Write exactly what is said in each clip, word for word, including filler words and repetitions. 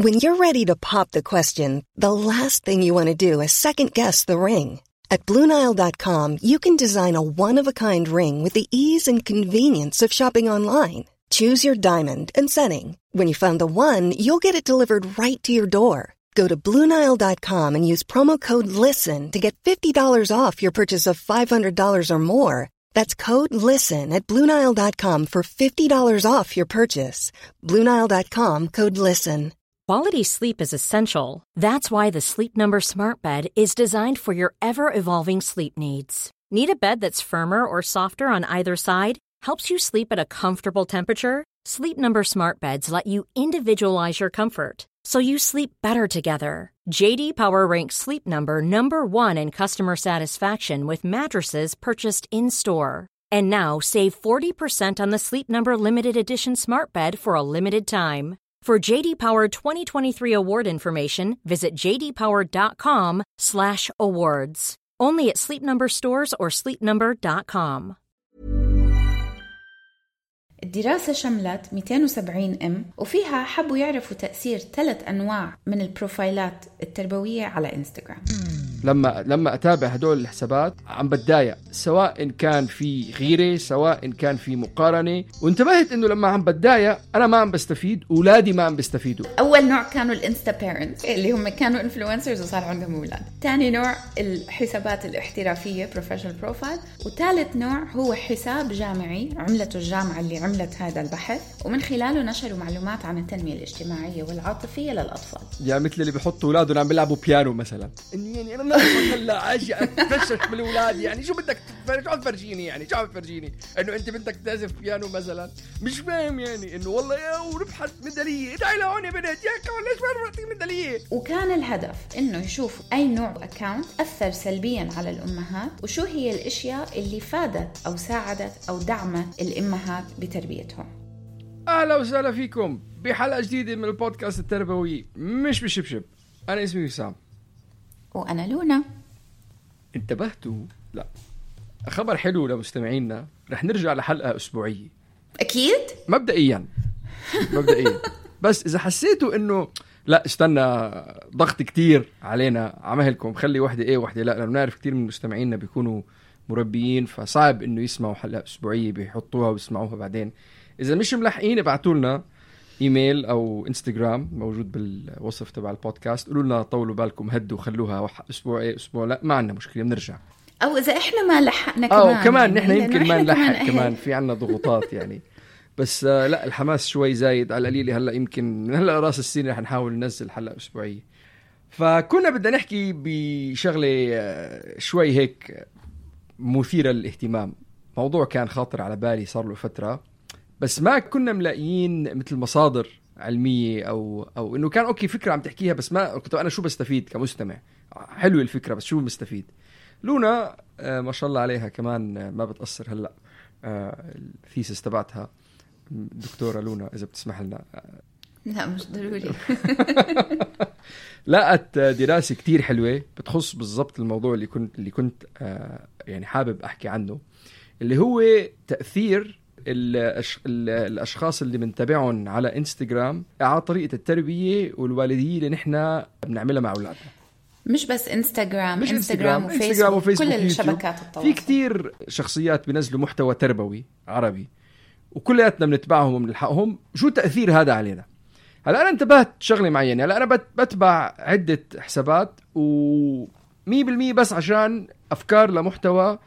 When you're ready to pop the question, the last thing you want to do is second-guess the ring. At Blue Nile dot com, you can design a one-of-a-kind ring with the ease and convenience of shopping online. Choose your diamond and setting. When you find the one, you'll get it delivered right to your door. Go to Blue Nile dot com and use promo code LISTEN to get fifty dollars off your purchase of five hundred dollars or more. That's code LISTEN at Blue Nile dot com for fifty dollars off your purchase. Blue Nile dot com, code LISTEN. Quality sleep is essential. That's why the Sleep Number Smart Bed is designed for your ever-evolving sleep needs. Need a bed that's firmer or softer on either side? Helps you sleep at a comfortable temperature? Sleep Number Smart Beds let you individualize your comfort, so you sleep better together. J D Power ranks Sleep Number number one in customer satisfaction with mattresses purchased in-store. And now save forty percent on the Sleep Number Limited Edition Smart Bed for a limited time. For J D Power twenty twenty-three award information, visit j d power dot com slash awards. Only at Sleep Number stores or sleep number dot com. الدراسة شملت مئتين وسبعين ام وفيها حبوا يعرفوا تأثير ثلاث أنواع من البروفايلات التربوية على إنستغرام. لما لما أتابع هدول الحسابات عم بتضايق، سواء كان في غيرة سواء كان في مقارنة، وانتبهت إنه لما عم بتضايق أنا ما عم بستفيد، أولادي ما عم بيستفيدوا. أول نوع كانوا الانستا بيرنتس اللي هم كانوا انفلونسرز وصار عندهم أولاد. ثاني نوع الحسابات الاحترافية بروفيشنال بروفايل، وثالث نوع هو حساب جامعي عملته الجامعة اللي عملت هذا البحث ومن خلاله نشروا معلومات عن التنمية الاجتماعية والعاطفية للأطفال. يعني مثل اللي بيحطوا أولادهم عم بيلعبوا بيانو مثلا. يعني أنا هلا عاجي اتفشخ من الاولاد، يعني شو بدك شو عم تفرجيني، يعني شو عم تفرجيني انه انت بدك تعزف بيانو مثلا؟ مش فاهم يعني انه والله يا وربحت ميداليه، ادعي لهون يا بنت يا كمان ليش ما ربحتي ميداليه. وكان الهدف انه يشوفوا اي نوع اكاونت اثر سلبيا على الامهات وشو هي الاشياء اللي فادت او ساعدت او دعمت الامهات بتربيتهم. اهلا وسهلا فيكم بحلقه جديده من البودكاست التربوي مش بشبشب. انا اسمي وسام وأنا لونا. انتبهتوا؟ لا، خبر حلو لمستمعينا، رح نرجع لحلقة أسبوعية أكيد مبدئيا مبدئيا بس إذا حسيتوا إنه لا استنى ضغط كتير علينا عمهلكم خلي واحدة إيه واحدة لا، لأنه نعرف كتير من مستمعينا بيكونوا مربيين فصعب إنه يسمعوا حلقة أسبوعية بيحطوها ويسمعوها بعدين. إذا مش ملحقين ابعتوا لنا ايميل او انستغرام موجود بالوصف تبع البودكاست، قولوا لنا طولوا بالكم هدوا خلوها اسبوع ايه اسبوع لا، ما عندنا مشكله بنرجع، او اذا احنا ما لحقنا كمان او كمان نحن يعني يمكن ما نلحق كمان في عنا ضغوطات يعني بس آه لا الحماس شوي زايد على القليل. هلا يمكن من هلا راس السنه رح نحاول ننزل حلقه اسبوعيه. فكنا بدنا نحكي بشغله آه شوي هيك مثيره للاهتمام، موضوع كان خاطر على بالي صار له فتره بس ما كنا ملاقيين مثل مصادر علمية أو أو إنه كان أوكي فكرة عم تحكيها بس ما كنت أنا شو بستفيد كمستمع. حلو الفكرة بس شو مستفيد. لونا آه ما شاء الله عليها كمان آه ما بتأثر هلأ آه الثيسس تبعتها دكتورة لونا إذا بتسمح لنا آه لا مش ضروري لقت دراسة كتير حلوة بتخص بالضبط الموضوع اللي كنت اللي كنت آه يعني حابب أحكي عنه، اللي هو تأثير الأشخاص اللي بنتابعهم على إنستغرام على طريقة التربية والوالدية اللي نحن بنعملها مع أولادنا. مش بس إنستغرام، مش إنستغرام, إنستغرام وفيسبوك, وفيسبوك كل ويوتيوب. الشبكات التواصل. في كتير شخصيات بينزلوا محتوى تربوي عربي وكلياتنا بنتبعهم وبنلحقهم. شو تأثير هذا علينا؟ هلا أنا انتبهت شغلة معينة. هلا أنا بتبع عدة حسابات ومية بالمية بس عشان أفكار لمحتوى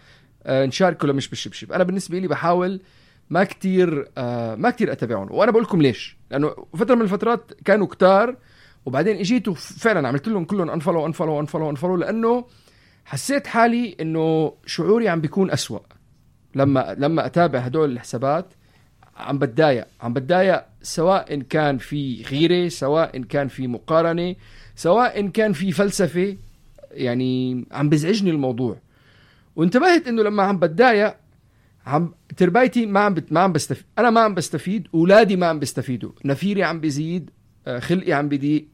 نشاركه لمش بالشبشب. أنا بالنسبة لي بحاول ما كتير آه ما كتير أتابعهم، وأنا بقول لكم ليش. لأنه فترة من الفترات كانوا كتار وبعدين اجيتوا فعلا عملت لهم كلهم انفولو انفولو انفولو انفولو لأنه حسيت حالي إنه شعوري عم بيكون أسوأ لما لما أتابع هدول الحسابات. عم بتضايق عم بتضايق سواء إن كان في غيرة سواء إن كان في مقارنة سواء إن كان في فلسفة، يعني عم بزعجني الموضوع. وانتبهت إنه لما عم بتضايق عم تربايتي ما عم بت... ما عم بستفيد، انا ما عم بستفيد، اولادي ما عم بيستفيدوا، نفيري عم بيزيد، خلقي عم بيضيق.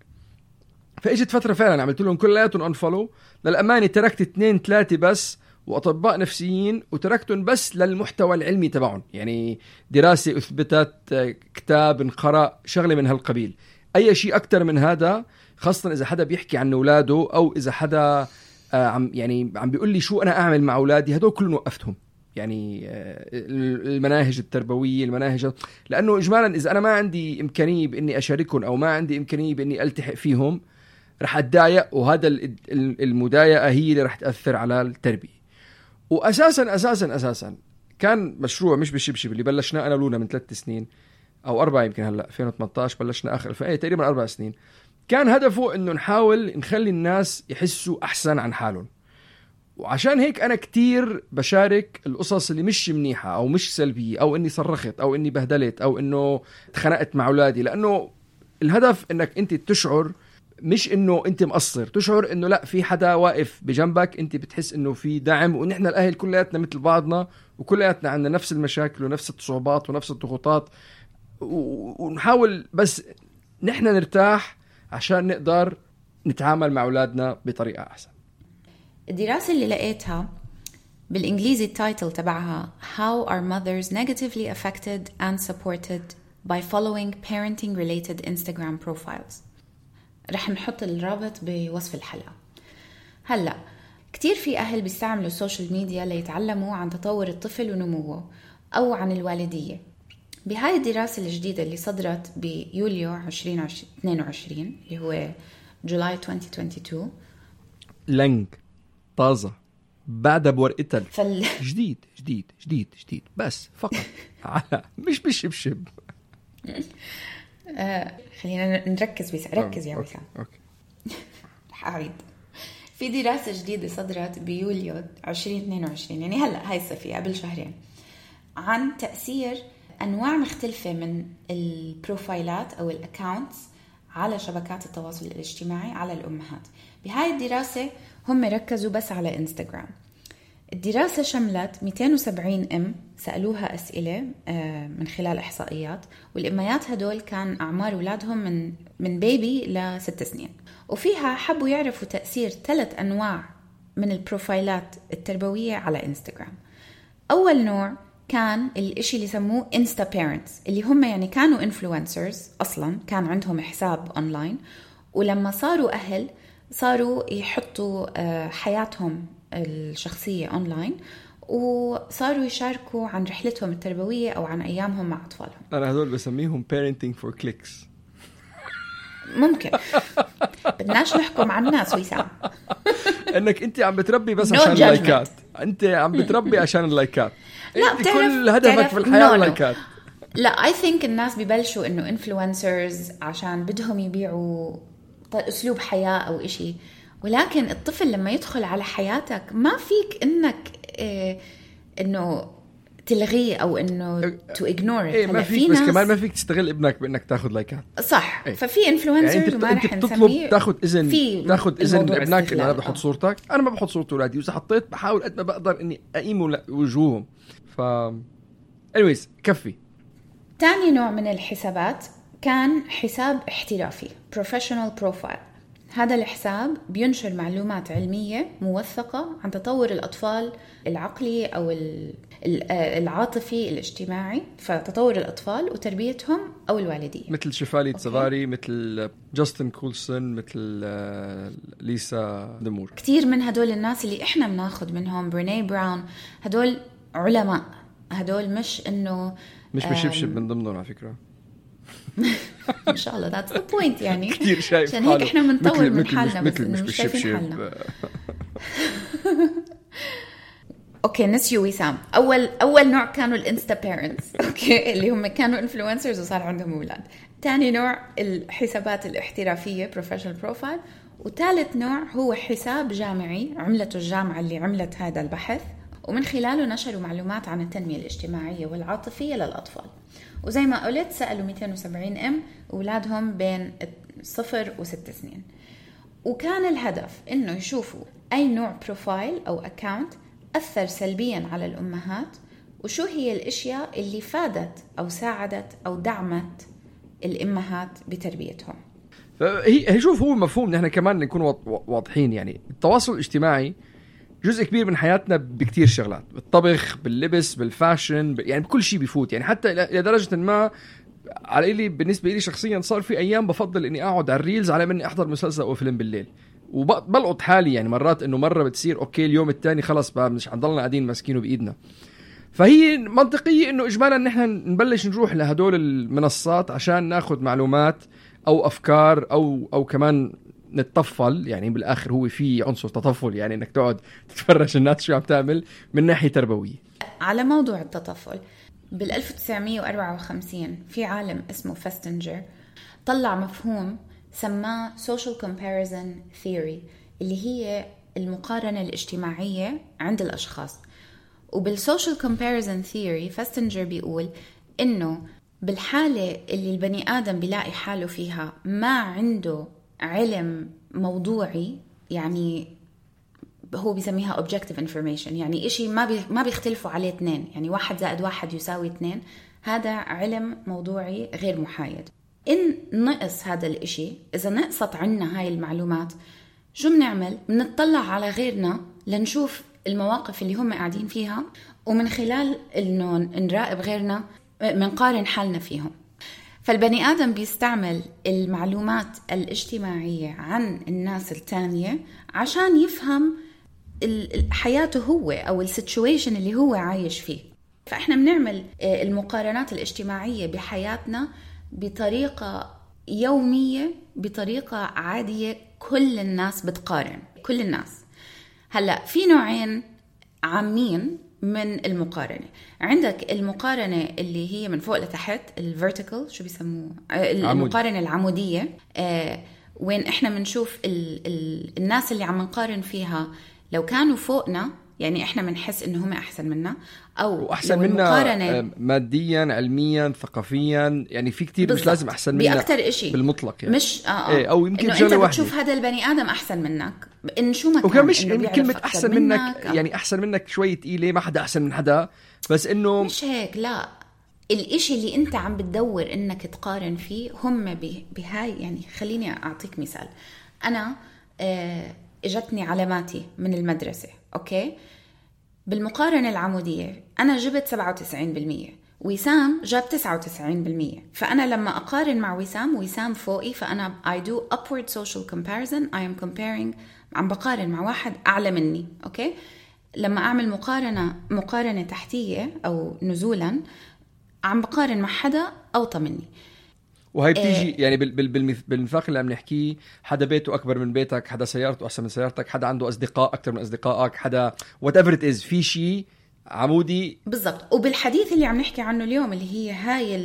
فاجت فتره فعلا عملت لهم كلياتهم انفولو. للامانه تركت اثنين ثلاثه بس واطباء نفسيين وتركتهم بس للمحتوى العلمي تبعهم، يعني دراسه اثبتت، كتاب انقرأ، شغله من هالقبيل. اي شيء اكتر من هذا، خاصه اذا حدا بيحكي عن اولاده او اذا حدا آه عم يعني عم بيقول لي شو انا اعمل مع اولادي، هدول كلهم وقفتهم. يعني آه المناهج التربويه، المناهج، لانه اجمالا اذا انا ما عندي امكانيه باني اشاركهم او ما عندي امكانيه باني التحق فيهم رح اتضايق، وهذا المضايقه هي اللي رح تاثر على التربيه. واساسا اساسا اساسا كان مشروع مش بالشبشب اللي بلشناه انا ولونا من ثلاث سنين او اربعه، يمكن هلا ألفين وثمانية عشر بلشنا اخر ألفين، تقريبا اربع سنين. كان هدفه انه نحاول نخلي الناس يحسوا احسن عن حالهم. وعشان هيك انا كتير بشارك القصص اللي مش منيحه او مش سلبيه، او اني صرخت او اني بهدلت او انه اتخانقت مع اولادي، لانه الهدف انك انت تشعر مش انه انت مقصر، تشعر انه لا، في حدا واقف بجنبك، انت بتحس انه في دعم، ونحن الاهل كلياتنا مثل بعضنا، وكلياتنا عندنا نفس المشاكل ونفس الصعوبات ونفس الضغوطات، ونحاول بس نحن نرتاح عشان نقدر نتعامل مع أولادنا بطريقة أحسن. الدراسة اللي لقيتها بالإنجليزي التايتل تبعها How are mothers negatively affected and supported by following parenting related Instagram profiles. رح نحط الرابط بوصف الحلقة. هلأ كتير في أهل بيستعملوا السوشيال ميديا ليتعلموا عن تطور الطفل ونموه أو عن الوالدية. بهاي الدراسة الجديدة اللي صدرت بيوليو عشرين اثنين وعشرين اللي هو جولاي ألفين واثنين وعشرين، لنج طازة بعدها بورقتها فال... جديد جديد جديد جديد بس فقط على مش بالشبشب. آه خلينا نركز بس ركز يا وسام. اوكي رح اعيد. في دراسة جديدة صدرت بيوليو عشرين اثنين وعشرين، يعني هلا هاي الصيفية قبل شهرين، عن تأثير أنواع مختلفة من البروفايلات أو الأكاونتس على شبكات التواصل الاجتماعي على الأمهات. بهاي الدراسة هم ركزوا بس على إنستغرام. الدراسة شملت مئتين وسبعين أم سألوها أسئلة من خلال إحصائيات، والأميات هدول كان أعمار أولادهم من من بيبي لست سنين، وفيها حبوا يعرفوا تأثير ثلاث أنواع من البروفايلات التربوية على إنستغرام. أول نوع كان الاشي اللي سموه انستا بيرنتس، اللي هم يعني كانوا انفلونسرز اصلا، كان عندهم حساب اونلاين، ولما صاروا اهل صاروا يحطوا حياتهم الشخصية اونلاين، وصاروا يشاركوا عن رحلتهم التربوية او عن ايامهم مع اطفالهم. انا هذول بسميهم parenting for clicks. ممكن بدناش نحكم عن الناس ويسام. انك انت عم بتربي بس عشان اللايكات، انت عم بتربي عشان اللايكات. لا كل هدفك في الحياة اللايكات. لا I think الناس ببلشوا انه انفلونسرز عشان بدهم يبيعوا اسلوب حياة او اشي، ولكن الطفل لما يدخل على حياتك ما فيك انك إيه انه تلغيه او انه تو اجنور. إيه ما فيك، بس كمان ما فيك تستغل ابنك بانك تاخذ لايكات. صح. إيه. ففي انفلونسرز يعني وما رح نسميه، نسميه، تاخذ اذن تاخذ اذن ابنك انه انا بحط آه. صورتك. انا ما بحط صورة اولادي، واذا حطيت بحاول قد ما بقدر اني اقيم وجوههم. ف anyways كفي. تاني نوع من الحسابات كان حساب احترافي professional profile. هذا الحساب بينشر معلومات علمية موثقة عن تطور الأطفال العقلي أو العاطفي الاجتماعي، فتطور الأطفال وتربيتهم أو الوالدية، مثل شفالي تزغاري، مثل جاستن كولسون، مثل ليسا دمور. كتير من هدول الناس اللي إحنا بناخد منهم، بريني براون، هدول علماء، هدول مش إنه مش بشبشب من ضمنهم على فكرة. إن شاء الله that's the point. يعني كتير شايف عشان هيك إحنا بنطور من حالنا، مثل بس مش بشبشب. اوكي نسيو وسام. اول اول نوع كانوا الانستا بيرنتس، اوكي اللي هم كانوا انفلونسرز وصار عندهم اولاد. ثاني نوع الحسابات الاحترافيه بروفيشنال بروفايل. وثالث نوع هو حساب جامعي عملته الجامعه اللي عملت هذا البحث، ومن خلاله نشروا معلومات عن التنميه الاجتماعيه والعاطفيه للاطفال. وزي ما قلت سالوا مئتين وسبعين ام اولادهم بين صفر وست سنين، وكان الهدف انه يشوفوا اي نوع بروفايل او اكاونت أثر سلبياً على الأمهات، وشو هي الأشياء اللي فادت أو ساعدت أو دعمت الأمهات بتربيتهم. هي شوف، هو مفهوم نحن كمان نكون واضحين. يعني التواصل الاجتماعي جزء كبير من حياتنا بكتير شغلات، بالطبخ، باللبس، بالفاشن، يعني بكل شيء بيفوت. يعني حتى إلى درجة ما على إلي بالنسبة لي شخصيا صار في أيام بفضل إني أقعد على الريلز على مني أحضر مسلسل أو فيلم بالليل، وبلقط حالي يعني مرات إنه مرة بتصير أوكي اليوم التاني خلص بقى مش هنضلنا قاعدين ماسكينه بإيدنا. فهي منطقية إنه إجمالا نحن نبلش نروح لهدول المنصات عشان ناخد معلومات أو أفكار أو أو كمان نتطفل، يعني بالآخر هو في عنصر تطفل، يعني إنك تقعد تتفرج الناس شو عم تعمل من ناحية تربوية. على موضوع التطفل، بالألف وتسعمية وأربعة وخمسين في عالم اسمه فاستنجر طلع مفهوم سماه social comparison theory، اللي هي المقارنة الاجتماعية عند الأشخاص. وبالسوشيال comparison theory فاستنجر بيقول إنه بالحالة اللي البني آدم بيلاقي حاله فيها ما عنده علم موضوعي، يعني هو بيسميها objective information، يعني إشي ما بي ما بيختلفوا عليه اثنين، يعني واحد زائد واحد يساوي اثنين، هذا علم موضوعي غير محايد. إن نقص هذا الإشي، إذا نقصت عنا هاي المعلومات، شو بنعمل؟ بنطلع على غيرنا لنشوف المواقف اللي هم قاعدين فيها، ومن خلال إنه نراقب غيرنا منقارن حالنا فيهم. فالبني آدم بيستعمل المعلومات الاجتماعية عن الناس التانية عشان يفهم حياته هو أو السيتويشن اللي هو عايش فيه. فإحنا بنعمل المقارنات الاجتماعية بحياتنا بطريقة يومية، بطريقة عادية، كل الناس بتقارن، كل الناس. هلأ في نوعين عامين من المقارنة. عندك المقارنة اللي هي من فوق لتحت، الفيرتيكال شو بيسموه، المقارنة العمودية، آه وين إحنا منشوف ال ال الناس اللي عم نقارن فيها لو كانوا فوقنا، يعني إحنا منحس إنه هم أحسن منا أو أحسن منا ماديا، علميا، ثقافيا، يعني في كتير مش لازم أحسن منا بأكتر إشي بالمطلق، يعني مش آه آه. إيه، أو يمكن إنه أنت بتشوف هذا البني آدم أحسن منك، إن شو ما كان، مش إن كلمة أحسن منك, منك يعني أحسن منك شوي تقيلة، ما حدا أحسن من حدا، بس إنه مش هيك، لا، الإشي اللي أنت عم بتدور إنك تقارن فيه هم بهاي. يعني خليني أعطيك مثال. أنا آه اجتني علاماتي من المدرسة، أوكي، بالمقارنة العمودية أنا جبت سبعة وتسعين بالمية، وسام جاب تسعة وتسعين بالمية. فأنا لما أقارن مع وسام، وسام فوقي، فأنا I do upward social comparison. I am comparing، عم بقارن مع واحد أعلى مني، أوكي. لما أعمل مقارنة مقارنة تحتية أو نزولا، عم بقارن مع حدا أوطى مني. وهي بتيجي يعني بالمثاق اللي عم نحكيه، حدا بيته أكبر من بيتك، حدا سيارته أحسن من سيارتك، حدا عنده أصدقاء أكتر من أصدقائك، حدا whatever it is، في شيء عمودي بالضبط. وبالحديث اللي عم نحكي عنه اليوم، اللي هي هاي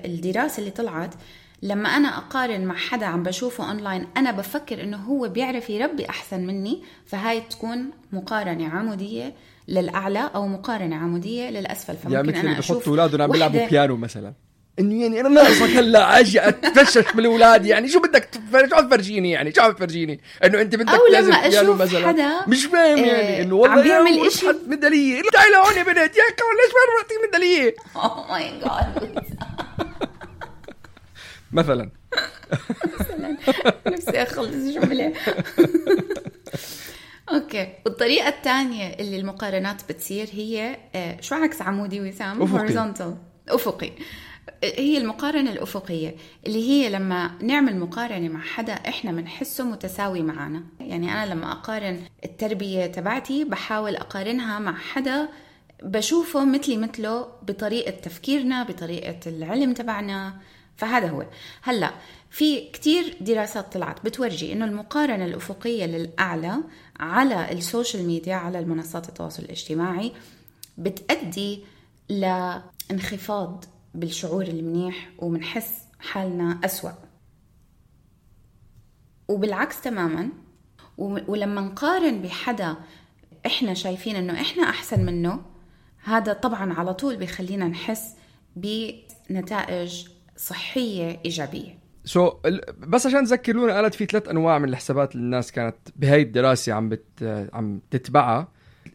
الدراسة اللي طلعت، لما أنا أقارن مع حدا عم بشوفه أونلاين، أنا بفكر إنه هو بيعرف يربي أحسن مني، فهاي تكون مقارنة عمودية للأعلى أو مقارنة عمودية للأسفل. فممكن يعني أنا أشوف أولادهم عم بيلعبوا بيانو مثلا، إنه يعني أنا ناقصك هلا أجي أتفشش بالأولاد، يعني شو بدك تفرج، شو تفرجيني، يعني شو تفرجيني إنه أنت بدك لازم بيانو مثلا، مش فاهم يعني إنه والله بيعمل إشي حد ميدالية، تعالى هون يا بنت، يا كمان ليش ما بعطيك ميدالية؟ Oh my God. مثلا مثلا نفسي أخلص جملة. أوكي. والطريقة الثانية اللي المقارنات بتصير هي شو عكس عمودي وسام؟ horizontal، أفقي. هي المقارنة الأفقية، اللي هي لما نعمل مقارنة مع حدا إحنا منحسه متساوي معنا. يعني أنا لما أقارن التربية تبعتي، بحاول أقارنها مع حدا بشوفه مثلي مثله بطريقة تفكيرنا، بطريقة العلم تبعنا. فهذا هو. هلأ في كتير دراسات طلعت بتورجي إنه المقارنة الأفقية للأعلى على السوشيال ميديا، على المنصات التواصل الاجتماعي، بتؤدي لانخفاض بالشعور المنيح، ومنحس حالنا أسوأ. وبالعكس تماما، ولما نقارن بحدا إحنا شايفين إنه إحنا أحسن منه، هذا طبعا على طول بيخلينا نحس بنتائج صحية إيجابية. سو so, بس عشان تذكرونا، قالت في ثلاث أنواع من الحسابات اللي الناس كانت بهاي الدراسة عم بت عم تتبعها.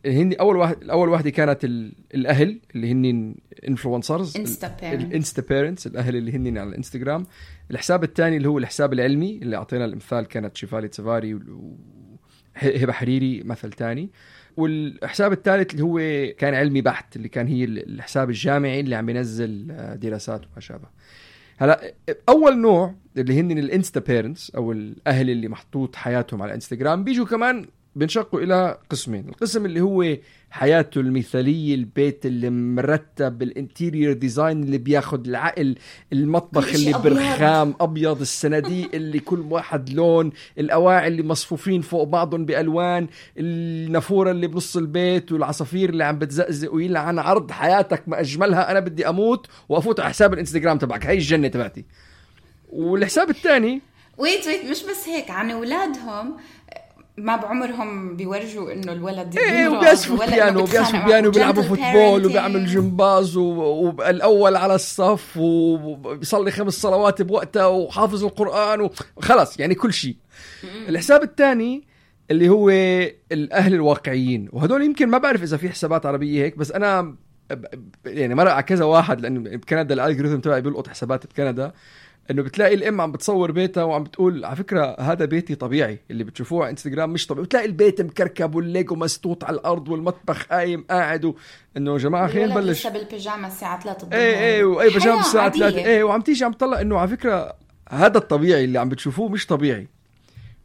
هني أول واحد الأول واحدة كانت الأهل اللي هني influencers، الانستا بيرنتس، الأهل اللي هني على الانستغرام. الحساب الثاني اللي هو الحساب العلمي، اللي أعطينا الامثال كانت شيفالي تسفاري وهبة حريري مثل تاني. والحساب الثالث اللي هو كان علمي بحت، اللي كان هي الحساب الجامعي اللي عم ينزل دراسات وما شابه. هلا اول نوع اللي هن الانستا بيرنتس او الاهل اللي محطوط حياتهم على انستغرام بيجوا كمان بنشقوا الى قسمين. القسم اللي هو حياته المثاليه، البيت اللي مرتب، الانتيريور ديزاين اللي بياخد العقل، المطبخ اللي برخام ابيض، الصناديق اللي كل واحد لون، الاواعي اللي مصفوفين فوق بعضهم بالوان، النافوره اللي بنص البيت، والعصافير اللي عم بتزقزق ويلعن عرض حياتك ما اجملها، انا بدي اموت وافوت على حساب الانستغرام تبعك، هاي الجنه تبعتي. والحساب الثاني ويت ويت مش بس هيك، عن اولادهم ما بعمرهم بيورجوا انه الولد ايه وبيعزفوا بيانو وبيعزفوا بيانو وبيلعبوا فوتبول وبيعمل جمباز والاول على الصف وبيصلي خمس صلوات بوقتها وحافظ القرآن وخلاص يعني كل شيء. الحساب الثاني اللي هو الاهل الواقعيين، وهدول يمكن ما بعرف اذا في حسابات عربيه هيك، بس انا يعني مرق على كذا واحد، لان بكندا الالجوريثم تبعي بيلقط حسابات بكندا، انه بتلاقي الام عم بتصور بيتها وعم بتقول على فكره هذا بيتي طبيعي، اللي بتشوفوه على انستغرام مش طبيعي، بتلاقي البيت مكركب والليجو مسطوط على الارض والمطبخ قايم قاعد، انه يا جماعه خلينا نبلش بالبيجامه الساعه ثلاثة الظهر. ايه ايه واي بيجامه الساعه ثلاثة ايه، وعم تيجي عم تطلع انه على فكره هذا الطبيعي اللي عم بتشوفوه مش طبيعي.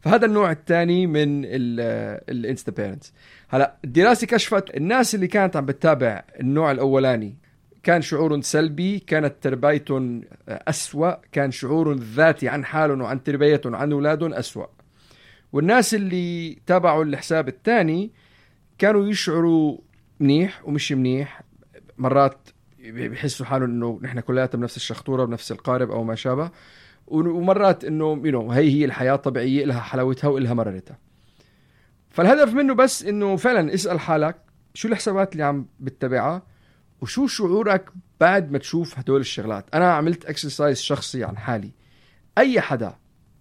فهذا النوع الثاني من الانستا بيرنتس. هلا الدراسه كشفت الناس اللي كانت عم بتتابع النوع الاولاني كان شعور سلبي، كانت تربيتهم أسوأ، كان شعور ذاتي عن حالهم وعن تربيتهم عن أولادهم أسوأ. والناس اللي تابعوا الحساب الثاني كانوا يشعروا منيح ومش منيح، مرات بيحسوا حالهم إنه نحن كلياتنا بنفس الشخطورة بنفس القارب أو ما شابه، ومرات إنه you know هي هي الحياة طبيعية، لها حلاوتها وإلها مررتها. فالهدف منه بس إنه فعلا اسأل حالك شو الحسابات اللي عم بتتبعها وشو شعورك بعد ما تشوف هدول الشغلات. أنا عملت اكسرسايز شخصي عن حالي، أي حدا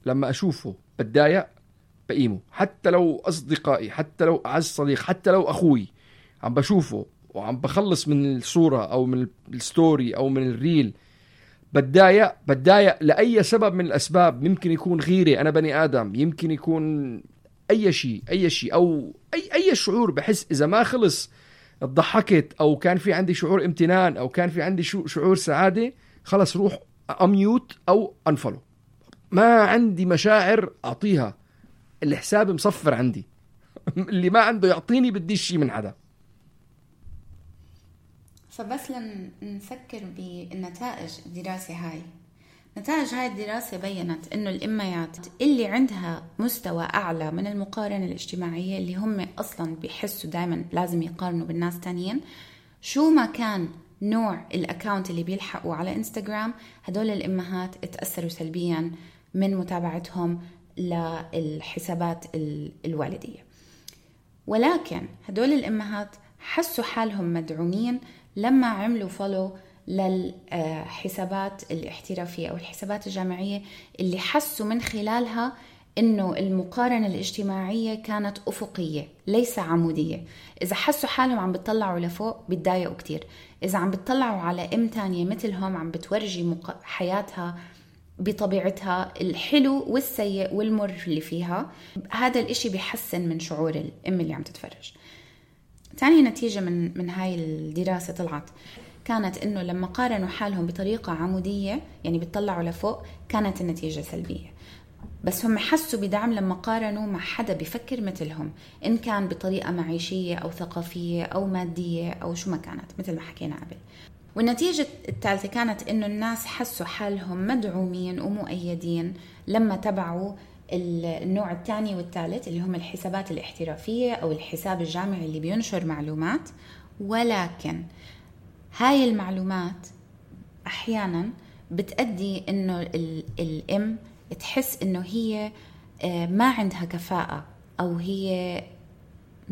لما أشوفه بتضايق بقيمه، حتى لو أصدقائي، حتى لو أعز صديق، حتى لو أخوي عم بشوفه وعم بخلص من الصورة أو من الستوري أو من الريل بتضايق بتضايق لأي سبب من الأسباب. يمكن يكون غيري، أنا بني آدم، يمكن يكون أي شيء أي شيء أو أي أي شعور. بحس إذا ما خلص ضحكت أو كان في عندي شعور امتنان أو كان في عندي شعور سعادة، خلص روح أميوت أو أنفلو، ما عندي مشاعر أعطيها، الحساب مصفر عندي. اللي ما عنده يعطيني بديش شيء من حدا. فبس لنفكر بالنتائج الدراسة هاي، نتائج هاي الدراسة بيّنت إنه الأميات اللي عندها مستوى أعلى من المقارنة الاجتماعية، اللي هم أصلاً بيحسوا دايماً لازم يقارنوا بالناس تانيين، شو ما كان نوع الأكاونت اللي بيلحقوا على إنستغرام، هدول الأمهات اتأثروا سلبياً من متابعتهم للحسابات الوالدية. ولكن هدول الأمهات حسوا حالهم مدعومين لما عملوا فولو للحسابات الاحترافية أو الحسابات الجامعية، اللي حسوا من خلالها إنه المقارنة الاجتماعية كانت أفقية ليس عمودية. إذا حسوا حالهم عم بتطلعوا لفوق بتضايقوا كتير، إذا عم بتطلعوا على أم تانية مثلهم عم بتورجي حياتها بطبيعتها، الحلو والسيء والمر اللي فيها، هذا الإشي بيحسن من شعور الأم اللي عم تتفرج. تاني نتيجة من من هاي الدراسة طلعت كانت إنه لما قارنوا حالهم بطريقة عمودية، يعني بتطلعوا لفوق، كانت النتيجة سلبية. بس هم حسوا بدعم لما قارنوا مع حدا بيفكر مثلهم، إن كان بطريقة معيشية أو ثقافية أو مادية أو شو ما كانت، مثل ما حكينا قبل. والنتيجة الثالثة كانت إنه الناس حسوا حالهم مدعومين ومؤيدين لما تبعوا النوع الثاني والثالث، اللي هم الحسابات الاحترافية أو الحساب الجامعي اللي بينشر معلومات. ولكن هاي المعلومات أحيانا بتأدي إنه الأم تحس إنه هي ما عندها كفاءة أو هي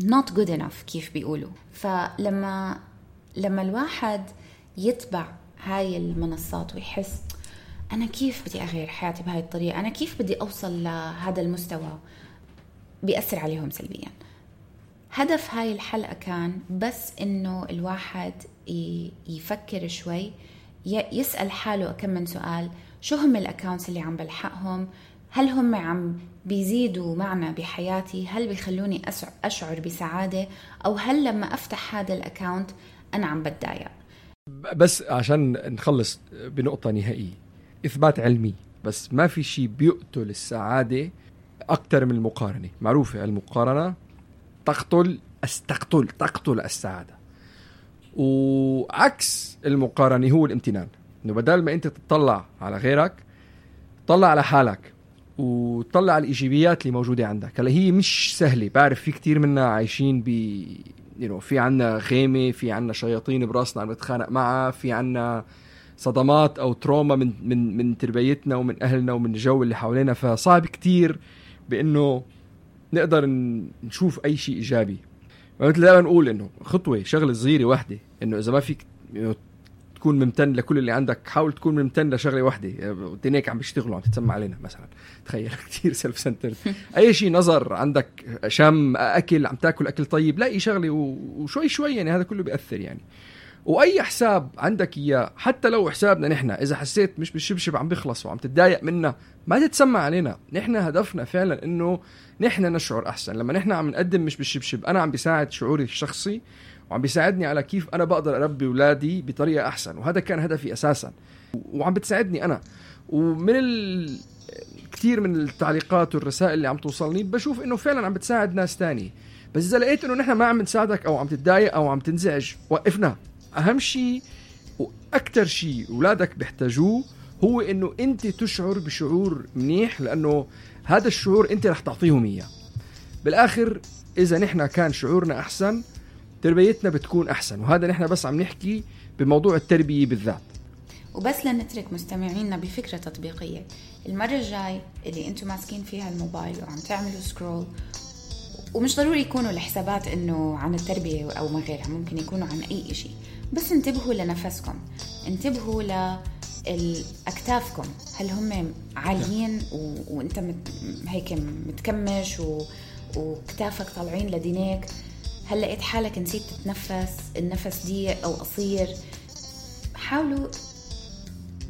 not good enough كيف بيقولوا. فلما لما الواحد يتبع هاي المنصات ويحس أنا كيف بدي أغير حياتي بهاي الطريقة، أنا كيف بدي أوصل لهذا المستوى، بيأثر عليهم سلبيا. هدف هاي الحلقة كان بس إنه الواحد يفكر شوي، يسأل حاله كم من سؤال. شو هم الأكاونتس اللي عم بلحقهم؟ هل هم عم بيزيدوا معنا بحياتي؟ هل بيخلوني أشعر بسعادة؟ أو هل لما أفتح هذا الأكاونت أنا عم بتضايق؟ بس عشان نخلص بنقطة نهائية، إثبات علمي، بس ما في شيء بيقتل السعادة أكتر من المقارنة. معروفة المقارنة تقتل استقتل تقتل السعادة. وعكس المقارنة هو الامتنان، إنه بدل ما أنت تطلع على غيرك طلع على حالك وطلع على الإيجابيات اللي موجودة عندك. هلا هي مش سهلة، بعرف في كتير منا عايشين ب you know, في عنا خيمة، في عنا شياطين براسنا عم نتخانق معها، في عنا صدمات أو تروما من من من تربيتنا ومن أهلنا ومن الجو اللي حوالينا، فصعب كتير بأنه نقدر نشوف أي شيء إيجابي. مثل دائما نقول إنه خطوة شغلة صغيرة واحدة، إنه إذا ما فيك تكون ممتن لكل اللي عندك، حاول تكون ممتن لشغلة واحدة. تنيك عم بيشتغلوا عم تتسمع علينا مثلا، تخيل كتير سيلف سنتر. أي شيء نظر عندك، شم، أكل، عم تاكل أكل طيب، لاقي شغلة وشوي شوي يعني هذا كله بيأثر يعني. وأي حساب عندك إياه، حتى لو حسابنا نحن، إذا حسيت مش بالشبشب عم بيخلص وعم تتضايق منا، ما تتسمع علينا. نحن هدفنا فعلا إنه نحن نشعر أحسن. لما نحن عم نقدم مش بالشبشب، أنا عم بيساعد شعوري الشخصي وعم بيساعدني على كيف أنا بقدر أربي أولادي بطريقة أحسن، وهذا كان هدفي أساسا، وعم بتساعدني أنا. ومن ال... كتير من التعليقات والرسائل اللي عم توصلني بشوف إنه فعلا عم بتساعد ناس تاني. بس إذا لقيت إنه نحن ما عم نساعدك أو عم تتضايق أو عم تنزعج، وقفنا. أهم شيء وأكتر شيء أولادك بيحتاجوه هو إنه أنت تشعر بشعور منيح، لأنه هذا الشعور أنت رح تعطيهم إياه. بالآخر إذا نحن كان شعورنا أحسن، تربيتنا بتكون أحسن. وهذا نحن بس عم نحكي بموضوع التربية بالذات. وبس لنترك مستمعينا بفكرة تطبيقية، المرة الجاي اللي أنتم ماسكين فيها الموبايل وعم تعملوا سكرول، ومش ضروري يكونوا الحسابات إنه عن التربية أو ما غيرها، ممكن يكونوا عن أي شيء، بس انتبهوا لنفسكم، انتبهوا لأكتافكم، هل هم عاليين و... وانت مت... هيك متكمش و... وكتافك طالعين لدينيك، هل لقيت حالك نسيت تتنفس، النفس ضيق أو قصير. حاولوا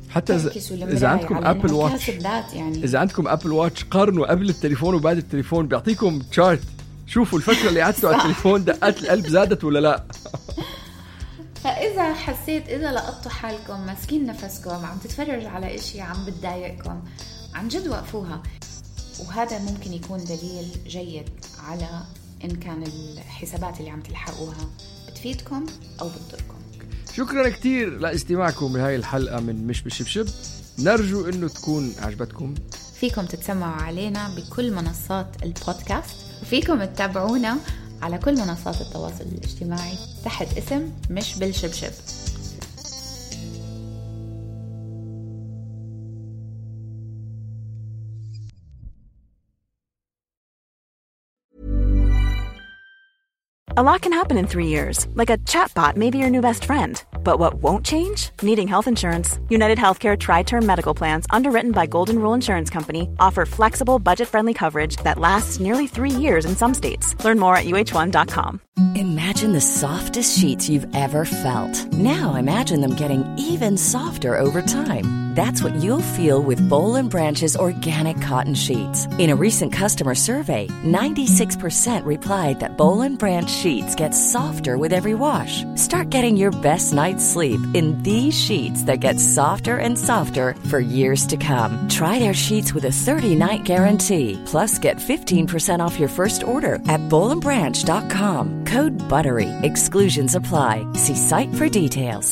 حتى إذا عندكم أبل واتش، يعني. إذا عندكم أبل واتش قارنوا قبل التليفون وبعد التليفون، بيعطيكم تشارت، شوفوا الفترة اللي قعدتوا على التليفون دقات القلب زادت ولا لا. فإذا حسيت إذا لقطتوا حالكم ماسكين نفسكم عم تتفرج على إشي عم بتضايقكم، عن جد وقفوها. وهذا ممكن يكون دليل جيد على إن كان الحسابات اللي عم تلحقوها بتفيدكم أو بتضركم. شكرا كتير لاستماعكم بهاي الحلقة من مش بالشبشب، نرجو إنه تكون عجبتكم. فيكم تتسمعوا علينا بكل منصات البودكاست، وفيكم تتابعونا على كل منصات التواصل الاجتماعي تحت اسم مش بالشبشب. A lot can happen in three years, like a chatbot may be your new best friend. But what won't change? Needing health insurance. United Healthcare Tri-Term Medical Plans, underwritten by Golden Rule Insurance Company, offer flexible, budget-friendly coverage that lasts nearly three years in some states. Learn more at U H one dot com. Imagine the softest sheets you've ever felt. Now imagine them getting even softer over time. That's what you'll feel with Boll and Branch's organic cotton sheets. In a recent customer survey, ninety-six percent replied that Boll and Branch sheets get softer with every wash. Start getting your best night's sleep in these sheets that get softer and softer for years to come. Try their sheets with a thirty-night guarantee. Plus, get fifteen percent off your first order at boll and branch dot com. Code BUTTERY. Exclusions apply. See site for details.